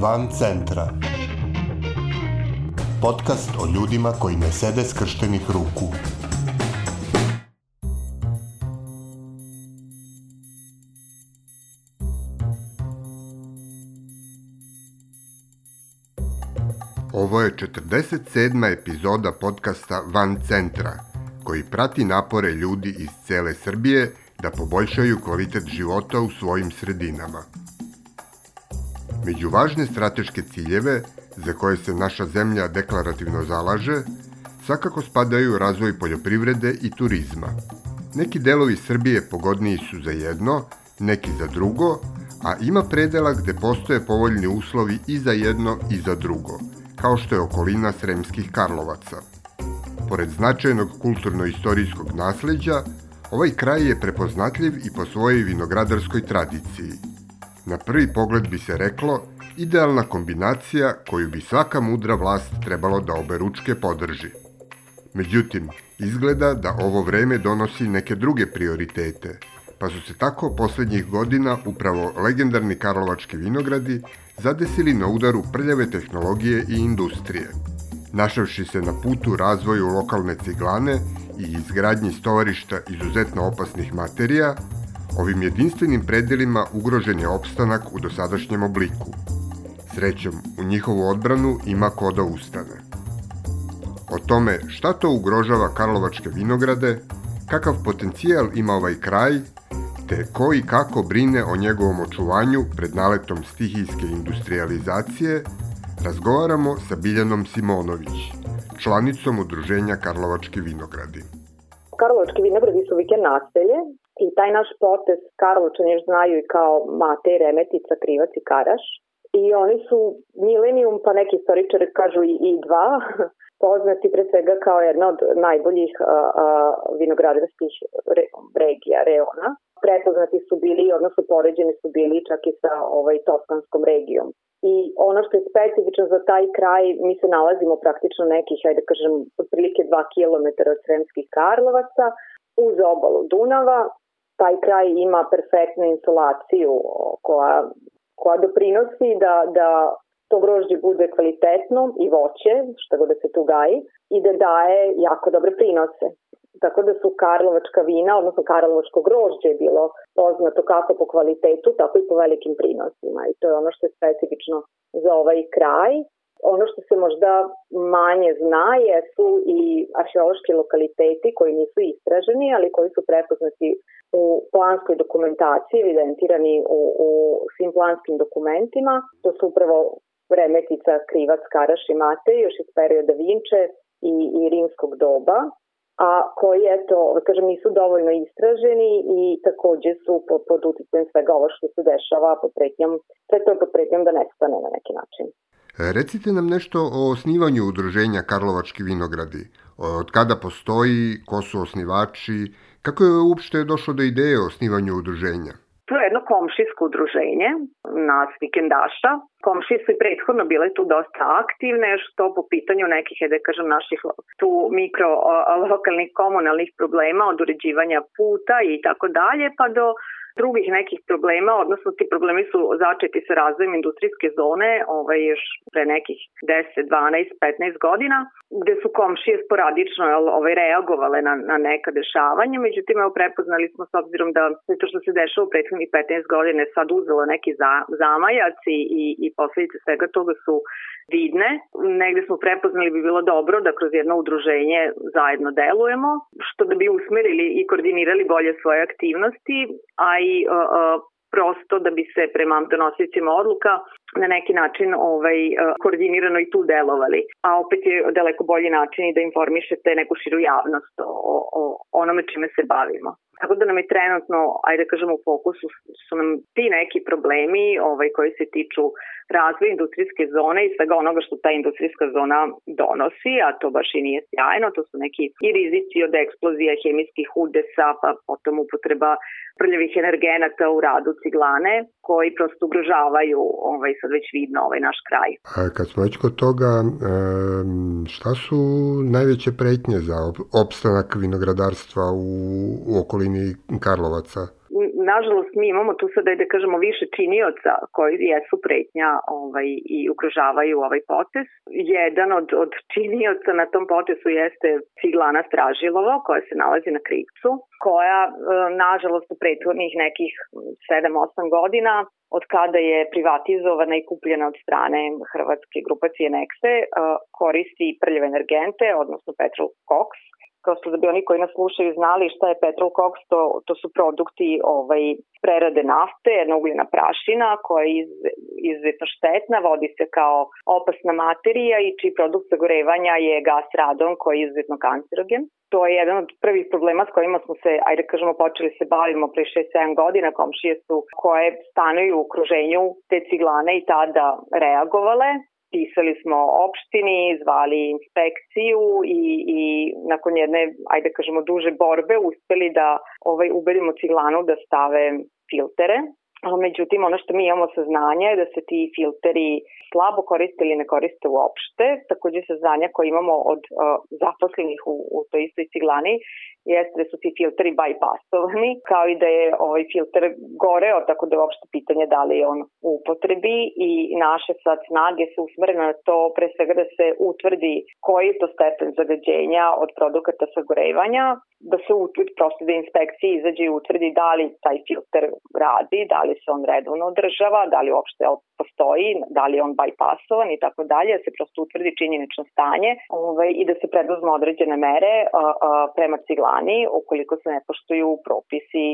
Van centra. Podcast o ljudima koji ne sede skrštenih ruku. Ovo je 47. epizoda podcasta Van centra, koji prati napore ljudi iz cele Srbije da poboljšaju kvalitet života u svojim sredinama. Među važne strateške ciljeve za koje se naša zemlja deklarativno zalaže, svakako spadaju razvoj poljoprivrede i turizma. Neki delovi Srbije pogodniji su za jedno, neki za drugo, a ima predela gde postoje povoljni uslovi i za jedno i za drugo, kao što je okolina Sremskih Karlovaca. Pored značajnog kulturno-istorijskog nasleđa, ovaj kraj je prepoznatljiv i po svojoj vinogradarskoj tradiciji. Na prvi pogled bi se reklo, idealna kombinacija koju bi svaka mudra vlast trebalo da oberučke podrži. Međutim, izgleda da ovo vreme donosi neke druge prioritete, pa su se tako poslednjih godina upravo legendarni karlovački vinogradi zadesili na udaru prljave tehnologije i industrije. Našavši se na putu razvoju lokalne ciglane i izgradnji stovarišta izuzetno opasnih materija, ovim jedinstvenim predelima ugrožen je opstanak u dosadašnjem obliku. Srećom, u njihovu odbranu ima ko da ustane. O tome šta to ugrožava karlovačke vinograde, kakav potencijal ima ovaj kraj, te ko i kako brine o njegovom očuvanju pred naletom stihijske industrializacije, razgovaramo sa Biljanom Simonović, članicom udruženja Karlovački vinogradi. Karlovački vinogradi su vikend naselje i taj naš potez Karlovčani još znaju i kao Matej, Remetica, Krivac i Karaš. I oni su milenijum, pa neki istoričari kažu i dva, poznati pre svega kao jedna od najboljih vinogradarskih regija, reona. Prepoznati su bili, odnosno poređeni su bili čak i sa Toskanskom regijom. I ono što je specifično za taj kraj, mi se nalazimo praktično nekih, otprilike 2 km od Sremskih Karlovaca, uz obalu Dunava. Taj kraj ima perfektnu insolaciju koja doprinosi da to grožđe bude kvalitetno i voće, što god da se tu gaji, i da daje jako dobre prinose. Tako da su karlovačka vina, odnosno karlovačko grožđe je bilo poznato kako po kvalitetu, tako i po velikim prinosima. I to je ono što je specifično za ovaj kraj. Ono što se možda manje zna jesu i arheološki lokaliteti koji nisu istraženi, ali koji su prepoznati u planskoj dokumentaciji, evidentirani u svim planskim dokumentima. To su upravo Remetica, Krivac, Karaš i Matej, još iz perioda Vinče i rimskog doba, a koji, nisu dovoljno istraženi i takođe su pod uticajem svega ovo što se dešava pod pretnjom da nestane na neki način. Recite nam nešto o osnivanju udruženja Karlovački vinogradi. Od kada postoji, ko su osnivači, kako je uopšte došlo do ideje o osnivanju udruženja? To je jedno komšijsko udruženje nas vikendaša. Komšije su i prethodno bile tu dosta aktivne, što po pitanju nekih, naših tu mikro lokalnih komunalnih problema od uređivanja puta i tako dalje, pa do drugih nekih problema, odnosno ti problemi su začeti sa razvojem industrijske zone još pre nekih 10, 12, 15 godina, gde su komšije sporadično reagovale na neka dešavanja. Međutim, prepoznali smo s obzirom da to što se dešava u prethodnih 15 godine sad uzelo neki zamajac i posledice svega toga su vidne. Negde smo prepoznali bi bilo dobro da kroz jedno udruženje zajedno delujemo, što da bi usmerili i koordinirali bolje svoje aktivnosti, a i prosto da bi se prema donosiocima odluka na neki način koordinirano i tu delovali. A opet je daleko bolji način i da informišete neku širu javnost o onome čime se bavimo. Tako da nam je trenutno, u fokusu su nam ti neki problemi koji se tiču razvoja industrijske zone i svega onoga što ta industrijska zona donosi, a to baš i nije sjajno. To su neki i rizici od eksplozija hemijskih udesa, pa potom upotreba prljavih energenata u radu ciglane, koji prosto ugrožavaju sad već vidno naš kraj. A kad smo već kod toga, šta su najveće pretnje za opstanak vinogradarstva u okolini Karlovaca? U nažalost, mi imamo tu sada, da kažemo, više činioca koji jesu pretnja i ugrožavaju ovaj potez. Jedan od činioca na tom potezu jeste ciglana Stražilovo, koja se nalazi na Krivcu, koja, nažalost, u prethodnih nekih 7-8 godina, od kada je privatizovana i kupljena od strane hrvatske grupacije Nexe, koristi prljave energente, odnosno petrol koks. Prosto da bi oni koji nas slušaju znali šta je petrol koks, to su produkti prerade nafte, jedna ugljena prašina koja je izuzetno štetna, vodi se kao opasna materija i čiji produkt sagorevanja je gas radon koji je izuzetno kancerogen. To je jedan od prvih problema s kojima smo se, počeli se bavimo pre 6-7 godina. Komšije su koje stanuju u okruženju te ciglane i tada reagovale. Pisali smo opštini, zvali inspekciju i nakon jedne, duže borbe uspeli da ubedimo ciglanu da stave filtere. Međutim, ono što mi imamo saznanje je da se ti filteri slabo koriste ili ne koriste uopšte. Takođe saznanja koje imamo od zaposlenih u toj istoj ciglani jeste da su ti filteri bypassovani, kao i da je filter goreo, tako da je uopšte pitanje da li je on u upotrebi i naše sad snage su usmerene na to pre svega da se utvrdi koji je to stepen zagađenja od produkata sagorevanja, da se utvrdi prosto da inspekcija izađe i utvrdi da li taj filter radi, da li se on redovno održava, da li uopšte postoji, da li je on bypassovan i tako dalje, da se prosto utvrdi činjenično stanje i da se preduzmu određene mere prema ciglani ukoliko se ne poštuju propisi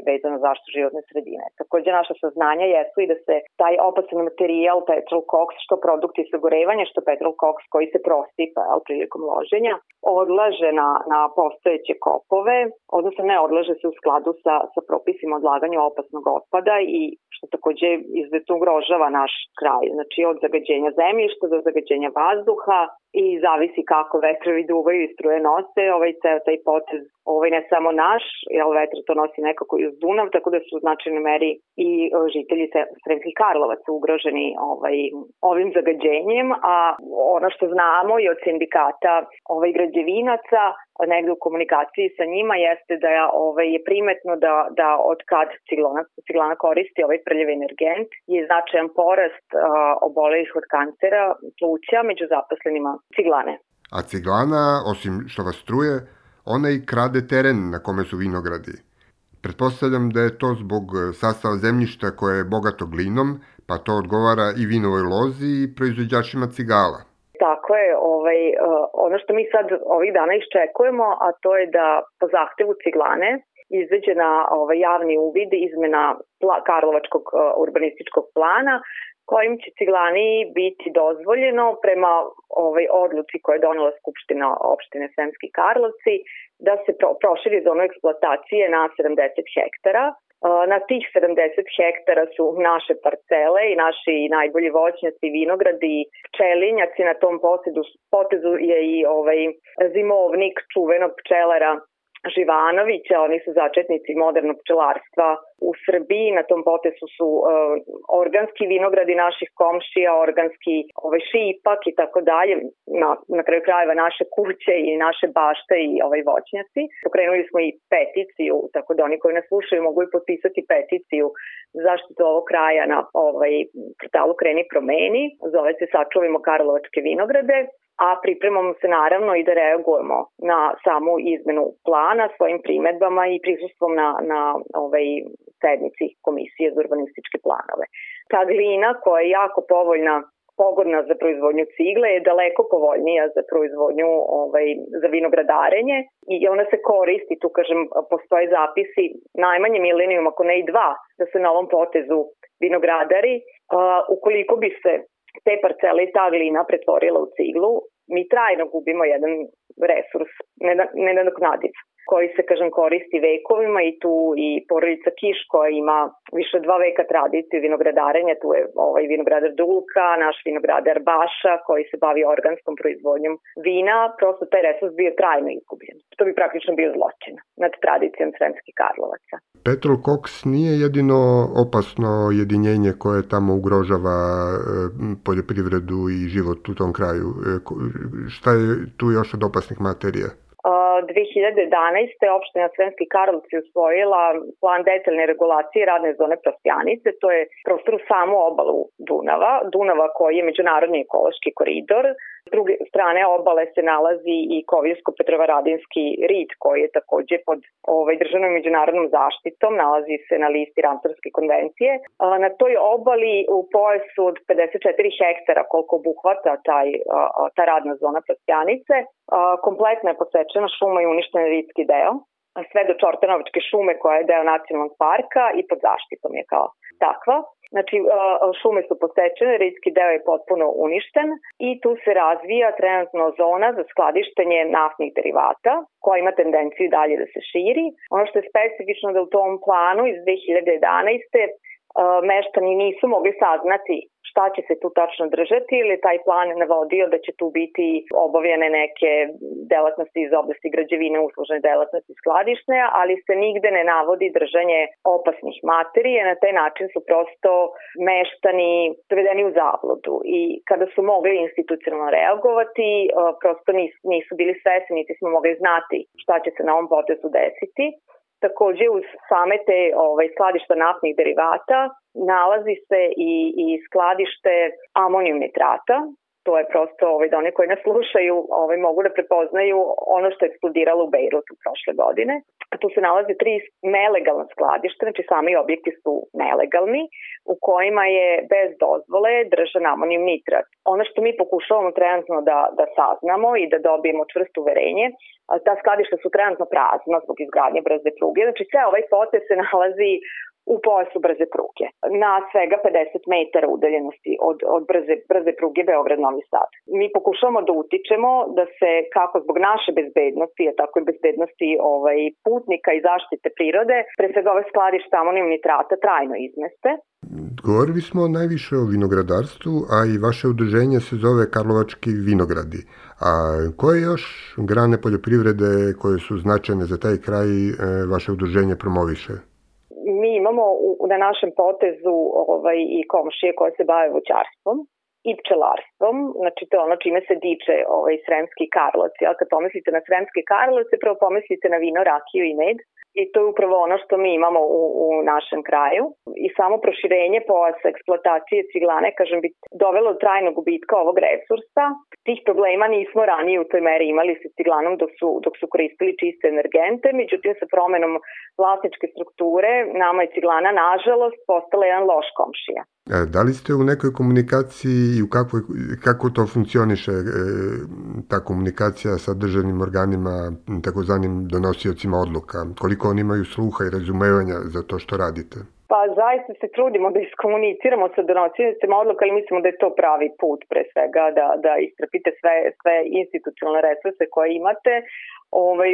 vezano za zaštitu životne sredine. Takođe naša saznanja jesu i da se taj opasan materijal, petrol koks, što produkti sagorevanja, što petrol koks koji se prosipa prilikom loženja, odlaže na postojeće kopove, odnosno ne odlaže se u skladu sa propisima odlaganja opasnog otpada i što takođe izuzetno ugrožava naš kraj. Znači od zagađenja zemljišta do zagađenja vazduha i zavisi kako vetrovi duvaju i struje nose taj potez, ne samo naš, jer vetar to nosi nekako i uz Dunav, tako da su u značajnoj meri i žitelji Sremskih Karlovaca ugroženi ovim zagađenjem, a ono što znamo i od sindikata građevinaca, negde u komunikaciji sa njima jeste da je primetno da od kad ciglana koristi prljavi energent je značajan porast obolelih od kancera pluća među zaposlenima ciglane. A ciglana, osim što vas struje, ona i krade teren na kome su vinogradi. Pretpostavljam da je to zbog sastava zemljišta koje je bogato glinom, pa to odgovara i vinovoj lozi i proizvođačima cigala. Tako je, ono što mi sad ovih dana iščekujemo, a to je da po zahtevu ciglane izađe na javni uvid izmena Karlovačkog urbanističkog plana, kojim će ciglani biti dozvoljeno prema odluci koje je donela Skupština opštine Sremski Karlovci da se proširi zonu eksploatacije na 70 hektara. Na tih 70 hektara su naše parcele i naši najbolji voćnjaci, vinogradi, pčelinjaci. Na tom potezu je i zimovnik čuvenog pčelara Živanovića, oni su začetnici modernog pčelarstva u Srbiji. Na tom potezu su organski vinogradi naših komšija, organski šipak i tako dalje. Na kraju krajeva naše kuće i naše bašte i voćnjaci. Pokrenuli smo i peticiju, tako da oni koji nas slušaju mogu i potpisati peticiju zaštitu ovog kraja na portalu Kreni promeni. Zove se Sačuvajmo Karlovačke vinograde. A pripremamo se naravno i da reagujemo na samu izmenu plana svojim primedbama i prisustvom na sednici Komisije za urbanističke planove. Ta glina koja je jako pogodna za proizvodnju cigle je daleko povoljnija za proizvodnju za vinogradarenje i ona se koristi, tu kažem, postoje zapisi najmanje milenijum, ako ne i 2, da se na ovom potezu vinogradari, ukoliko bi se te parcele i ta glina pretvorila u ciglu, mi trajno gubimo jedan resurs nenadoknadiv koji se, kažem, koristi vekovima i tu i porodica Kiš koja ima više od 2 veka tradicije vinogradarenja, tu je vinogradar Dulka, naš vinogradar Baša koji se bavi organskom proizvodnjom vina, prosto taj resurs bio trajno izgubljen. To bi praktično bio zločin nad tradicijom Sremskih Karlovaca. Petrol koks nije jedino opasno jedinjenje koje tamo ugrožava poljoprivredu i život u tom kraju. Šta je tu još od opasnih materija? 2011. opština Sremski Karlovci usvojila plan detaljne regulacije radne zone Prostjanice. To je prostor u samu obalu Dunava koji je međunarodni ekološki koridor. S druge strane obale se nalazi i Koviljsko-Petrovaradinski rit koji je takođe pod državnom međunarodnom zaštitom, nalazi se na listi Ramsarske konvencije. Na toj obali u pojasu od 54 hektara koliko obuhvata ta radna zona Prostjanice, kompletno je posečena šuma i uništen ritski deo, sve do Čortanovačke šume koja je deo nacionalnog parka i pod zaštitom je kao takva. Znači, šume su posečene, ritski deo je potpuno uništen i tu se razvija trenutno zona za skladištenje naftnih derivata koja ima tendenciju dalje da se širi. Ono što je specifično da u tom planu iz 2011. Meštani nisu mogli saznati šta će se tu tačno držati ili taj plan navodio da će tu biti obavljene neke delatnosti iz oblasti građevine, uslužne delatnosti skladišne, ali se nigde ne navodi držanje opasnih materija. Na taj način su prosto meštani dovedeni u zabludu i kada su mogli institucionalno reagovati, prosto nisu bili svesni, niti smo mogli znati šta će se na ovom potezu desiti. Takođe, uz same te skladišta naftnih derivata nalazi se i skladište amonijum nitrata. To je prosto da oni koji nas slušaju mogu da prepoznaju ono što je eksplodiralo u Bejrutu prošle godine. Tu se nalaze 3 nelegalna skladišta, znači sami objekti su nelegalni, u kojima je bez dozvole držan amonijum nitrat. Ono što mi pokušavamo trenutno da saznamo i da dobijemo čvrsto uverenje, ta skladišta su trenutno prazna zbog izgradnje brze pruge. Znači sve ovaj potez se nalazi u pojasu brze pruge, na svega 50 metara udaljenosti od brze pruge Beograd-Novi Sad. Mi pokušavamo da utičemo da se kako zbog naše bezbednosti, a tako i bezbednosti putnika i zaštite prirode, pre svega ove skladišta amonijum nitrata trajno izmeste. Govorili smo najviše o vinogradarstvu, a i vaše udruženje se zove Karlovački vinogradi. A koje još grane poljoprivrede koje su značajne za taj kraj vaše udruženje promoviše? Mi imamo na našem potezu i komšije koje se bave voćarstvom i pčelarstvom, znači to je ono čime se diče Sremski Karlovci. Ali kad pomislite na Sremski Karlovci, prvo pomislite na vino, rakiju i med. I to je upravo ono što mi imamo u našem kraju. I samo proširenje pojasa eksploatacije ciglane, kažem, bi dovelo do trajnog gubitka ovog resursa. Tih problema nismo ranije u toj meri imali sa ciglanom dok su koristili čiste energente, međutim sa promenom vlasničke strukture nama je ciglana nažalost postala jedan loš komšija. Da li ste u nekoj komunikaciji i kako to funkcioniše ta komunikacija sa državnim organima, takozvanim donosiocima odluka? Koliko oni imaju sluha i razumevanja za to što radite? Pa zaista se trudimo da iskomuniciramo sa donosiocima odluka, ali mislimo da je to pravi put pre svega da istrpite sve institucionalne resurse koje imate.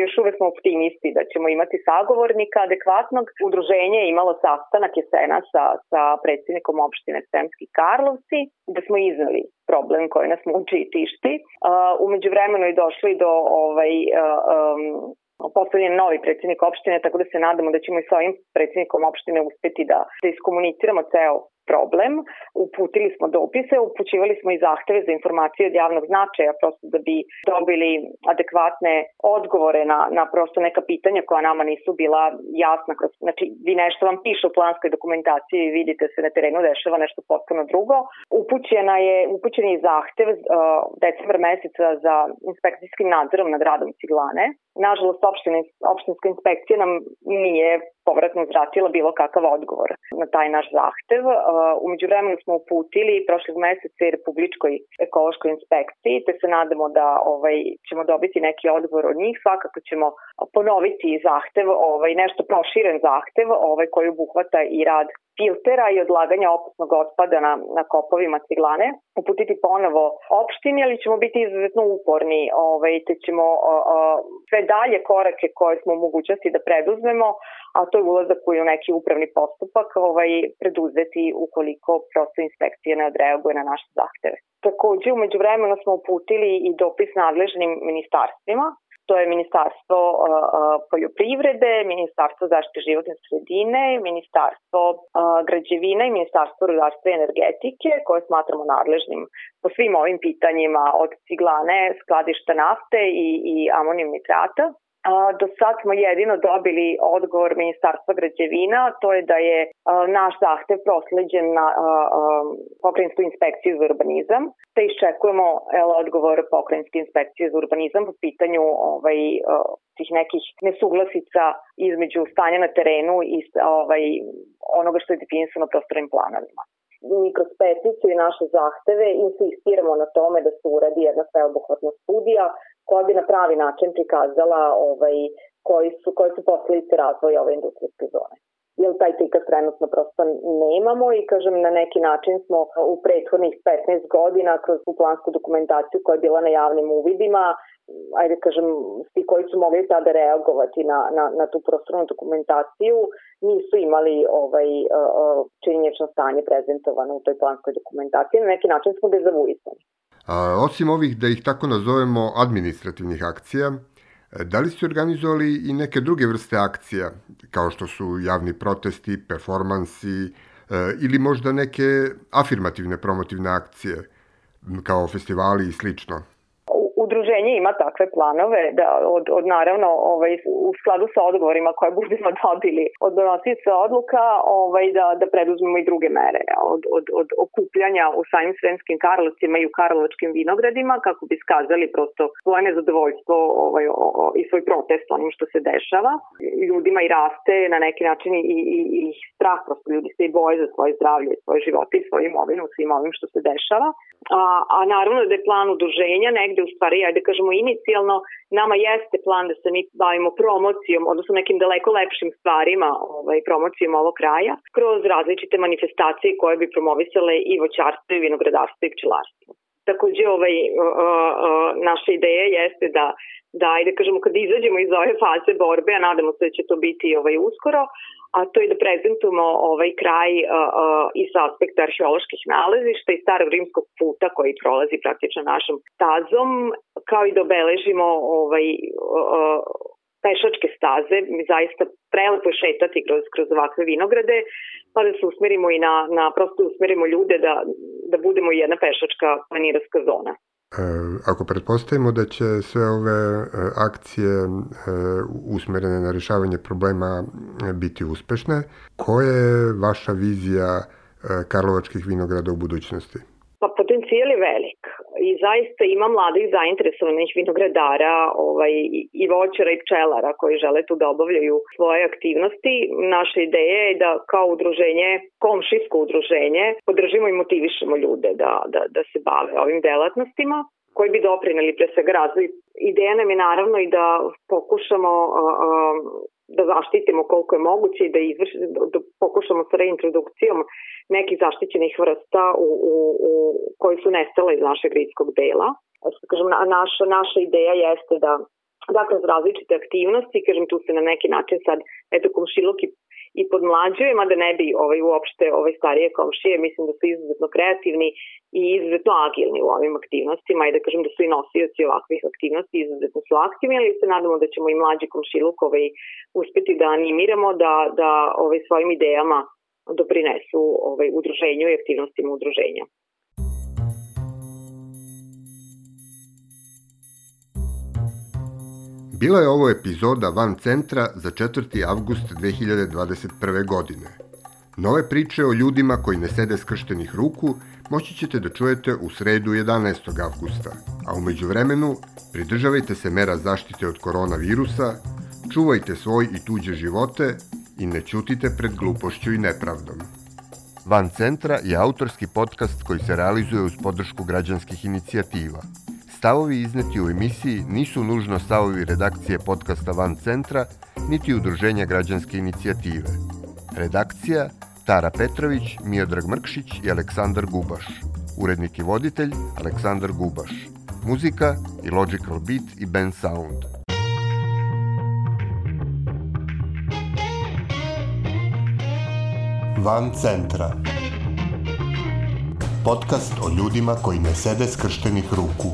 Još uvek smo optimisti da ćemo imati sagovornika adekvatnog. Udruženje je imalo sastanak jesena sa predsjednikom opštine Sremski Karlovci, da smo iznali problem koji nas muči i tišti. Umeđu vremenu je došli do postavljen novi predsjednik opštine, tako da se nadamo da ćemo i s ovim predsjednikom opštine uspeti da iskomuniciramo ceo problem. Uputili smo dopise, upućivali smo i zahteve za informacije od javnog značaja, prosto da bi dobili adekvatne odgovore na prosto neka pitanja koja nama nisu bila jasna. Znači, vi nešto vam piše u planskoj dokumentaciji i vidite se na terenu dešava nešto potpuno drugo. Upućen je zahtev decembar meseca za inspekcijskim nadzorom nad radom ciglane. Nažalost, opštinska inspekcija nam nije povratno uzvratila bilo kakav odgovor na taj naš zahtev. Umeđu vremenu smo uputili prošlog meseca i Republičkoj ekološkoj inspekciji, te se nadamo da ćemo dobiti neki odgovor od njih. Svakako ćemo ponoviti zahtev, nešto proširen zahtev, koji obuhvata i rad filtera i odlaganja opasnog otpada na kopovima ciglane. Uputiti ponovo opštini, ali ćemo biti izuzetno uporni, te ćemo sve dalje korake koje smo u mogućnosti da preduzmemo, a to je ulazak u neki upravni postupak, preduzeti ukoliko prosto inspekcija ne odreaguje na naše zahteve. Takođe, umeđu vremenu smo uputili i dopis nadležnim ministarstvima. To je Ministarstvo poljoprivrede, Ministarstvo zaštite životne sredine, Ministarstvo građevine i Ministarstvo rudarstva i energetike, koje smatramo nadležnim po svim ovim pitanjima od ciglane, skladišta nafte i amonijum nitrata. Do sad smo jedino dobili odgovor Ministarstva građevina, to je da je naš zahtev prosleđen na Pokrajinsku inspekciju za urbanizam, te iščekujemo odgovor Pokrajinske inspekcije za urbanizam po pitanju tih nekih nesuglasica između stanja na terenu i onoga što je definisano prostornim planovima. Mi kroz peticiju i naše zahteve insistiramo na tome da se uradi jedna sveobuhvatna studija koja bi na pravi način prikazala koji su posledice razvoja ove industrijske zone. Jer taj prikaz trenutno prosto nemamo i kažem na neki način smo u prethodnih 15 godina kroz tu plansku dokumentaciju koja je bila na javnim uvidima, svi koji su mogli tada reagovati na tu prostornu dokumentaciju nisu imali činjenično stanje prezentovano u toj planskoj dokumentaciji. Na neki način smo dezavuisani. Osim ovih, da ih tako nazovemo, administrativnih akcija, da li ste organizovali i neke druge vrste akcija, kao što su javni protesti, performansi ili možda neke afirmativne promotivne akcije, kao festivali i slično? Udruženje ima takve planove da naravno u skladu sa odgovorima koje budemo dobili od donosioca odluka da preduzmemo i druge mere od okupljanja u samim Sremskim Karlovcima i u Karlovačkim vinogradima kako bi skazali prosto svoje nezadovoljstvo i svoj protest onim što se dešava. Ljudima i raste na neki način i strah, prosto ljudi se i boje za svoje zdravlje, svoje živote i svoju imovinu svim ovim što se dešava. A naravno da je plan udruženja negde u stvari, inicijalno nama jeste plan da se mi bavimo promocijom, odnosno nekim daleko lepšim stvarima, promocijom ovog kraja, kroz različite manifestacije koje bi promovisale i voćarstvo, i vinogradarstvo, i pčelarstvo. Takođe, naša ideja jeste da kad izađemo iz ove faze borbe, a nadamo se da će to biti uskoro, a to je da prezentujemo ovaj kraj i sa aspekta arheoloških nalazišta i starog rimskog puta koji prolazi praktično našom stazom, kao i da obeležimo pešačke staze. Mi zaista prelepo je šetati kroz ovakve vinograde, pa da se usmerimo i prosto usmerimo ljude da budemo jedna pešačka planirska zona. Ako pretpostavimo da će sve ove akcije usmerene na rješavanje problema biti uspešne, koja je vaša vizija karlovačkih vinograda u budućnosti? Pa potencijal je velik i zaista ima mladih zainteresovanih vinogradara i voćara i pčelara koji žele tu da obavljaju svoje aktivnosti. Naša ideja je da kao udruženje, komšijsko udruženje, podržimo i motivišemo ljude da se bave ovim delatnostima koji bi doprineli pre svega razvoj. Ideja nam je naravno i da pokušamo da zaštitimo koliko je moguće i da pokušamo sa reintrodukcijom nekih zaštićenih vrsta koji su nestale iz našeg gridskog dela. Naša ideja jeste da kroz različite aktivnosti, tu se na neki način sad komšiluk i podmlađuje, mada ne bi uopšte starije komšije, mislim da su izuzetno kreativni i izuzetno agilni u ovim aktivnostima i da su i nosioci ovakvih aktivnosti, izuzetno su aktivni, ali se nadamo da ćemo i mlađi komšiluk uspeti da animiramo da svojim idejama doprinesu udruženju i aktivnostima udruženja. Bila je ovo epizoda Van centra za 4. avgust 2021. godine. Nove priče o ljudima koji ne sede skrštenih ruku moći ćete da čujete u sredu 11. avgusta, a u međuvremenu pridržavajte se mera zaštite od koronavirusa, čuvajte svoj i tuđe živote i ne ćutite pred glupošću i nepravdom. Van centra je autorski podcast koji se realizuje uz podršku građanskih inicijativa. Stavovi izneti u emisiji nisu nužno stavovi redakcije podcasta Van centra, niti udruženja građanske inicijative. Redakcija Tara Petrović, Miodrag Mrkšić i Aleksandar Gubaš. Urednik i voditelj Aleksandar Gubaš. Muzika i Logical Beat i Ben Sound. Van centra. Podcast o ljudima koji ne sede skrštenih ruku.